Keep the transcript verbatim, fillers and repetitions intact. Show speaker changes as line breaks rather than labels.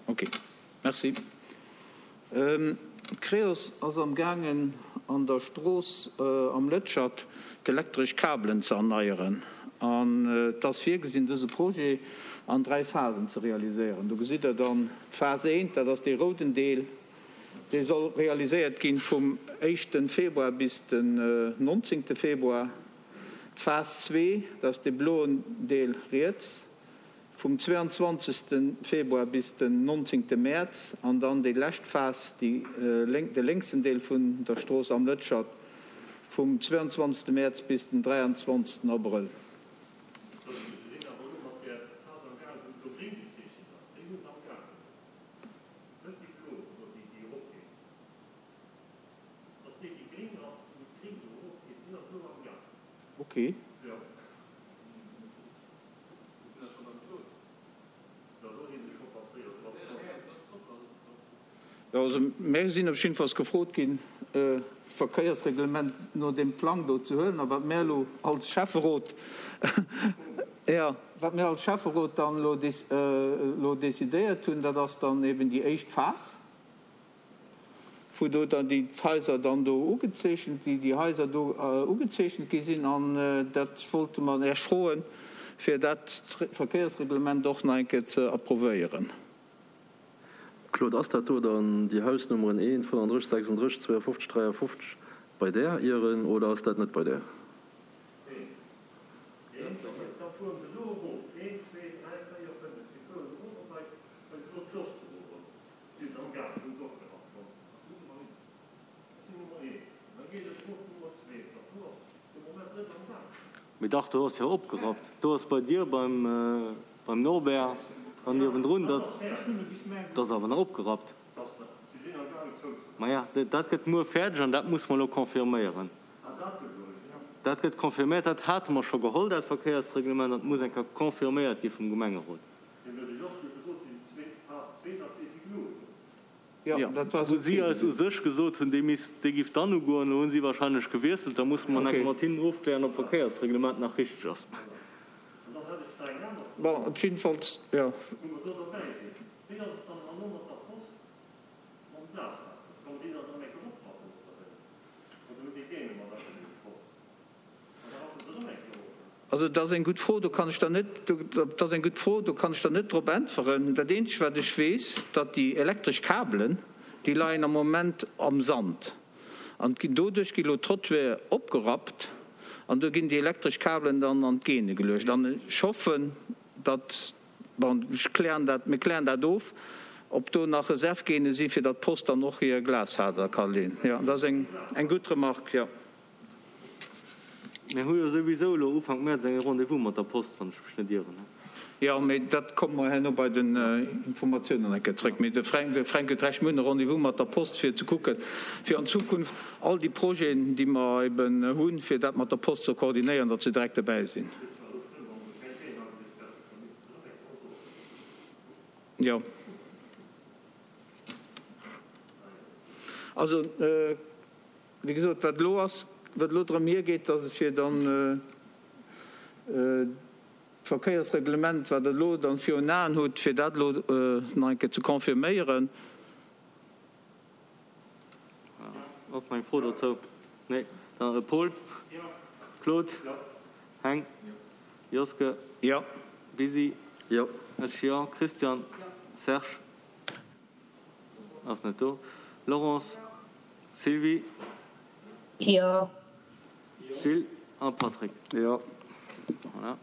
Ok. Merci. D'Creos ass am gaangen an der Strooss Am Lëtschert d'elektresch Kabelen ze erneieren an et ass virgesinn dëse Projet an dräi Phasen ze realiséieren. Do gesitt Der dann d'Phas eent, dat ass dee rouden Deel, dee soll realiséiert ginn vum éischte Februar bis den nonzéngte Februar. D'Phas zwee, dat ass dee bloen Deel riets, vum zweiandzwanzegste Februar bis den nonzéngte Mäerz an dann déi lescht Phas, déi de lénksen Deel vun der Strooss Am Lëtschert, vum zweiandzwanzegste Mäerz bis den dräiandzwanzegsten Abrëll. Ok. Jo, also mär sinn op jiddefalls gefrot ginn, d'Verkéiersreglement no deem Plang do ze huelen. A wat mär elo als Schäfferot, jo, wat mär als Schäfferot dann elo elo decidéiert hunn, dat ass dann eben déi éischt Phas. wou do dann déi Haiser dann do ugezeechent, déi déi Haiser do ugezeechent gi sinn. An dat wollte mer Iech froen, fir dat Verkéiersreglement och nach eng Kéier ze approvéieren.
Claude, ass dat do dann déi Hausnummeren eent, fënnandrësseg, sechsandrësseg, zweeafofzeg, dräiafofzeg bei där ieren oder ass dat net bei där?
Mee dach, do ass jo opgerappt. Do ass bei dir beim beim Norbert an niewendrun, dat ass awer nach opgerappt. Maja, dat gëtt muer fäerdeg an dat musse mer elo confirméieren. Dat gëtt confirméiert, dat hate mer scho geholl, dat Verkéiersreglement, an et muss eng Kéier confirméiert gi vum Gemengerot.
Jo, dat war
Wou si eis u sech gesot hunn, dee misst, dee giff dann ugoen. Elo hu si wahrscheinlech gewiesselt. Da musse mer nach eng Kéier mat hinnen ofklären, ob d'Verkéiersreglement nach richteg ass.
Bon, op jiddefalls, jo. Also dat ass eng gutt Fro, do kann ech der net, dat ass eng gutt Fro, do kann ech der net drop äntweren. Dat Eenzegt wat ech weess, datt déi elektresch Kabelen, déi leien am Moment am Sand an doduerch gi lo d'Trottoiren opgerappt an do ginn déi elektresch Kabelen dann an d'Geene geluecht. An ech hoffen, datt, bon, ech klären dat, mir klären dat of, ob do nach Reservgeene si fir datt d'Post dann och hir Glasfaser ka leen. Jo, dat ass eng gutt Remarque, jo.
Mir hu jo souwisou elo Ufank Mäerz eng Rendez-vous mat der Post, wann ech mech net ieren.
Jo, mee dat komme mer herno bei den Informatiounen eng Kéier zrëck. Mee de Fränk, de Fränk huet Recht, mir hunn e Rendez-vous mat der Post, fir ze kucken, fir an Zukunft all déi Projeten, déi mer eben hunn, fir dat mat der Post ze koordinéieren, datt se direkt dobäi sinn. Jo. Also. Wéi gesot, wat elo ass, wat elo drëm hiergeet, ass et fir dann d'Verkéiersreglement, wat Der elo dann virun Aen hutt, fir dat elo nach eng Kéier ze confirméieren.
Ass nach eng Fro dozou? Nee. Dann Paul? Claude? Heng? Joske?
Jo.
Bisi?
Jo.
Ech jo. Christian? Serge? Ass net do. Laurence? Sylvie?
Jo.
Gilles a Patrick.
Jo.
Voilà.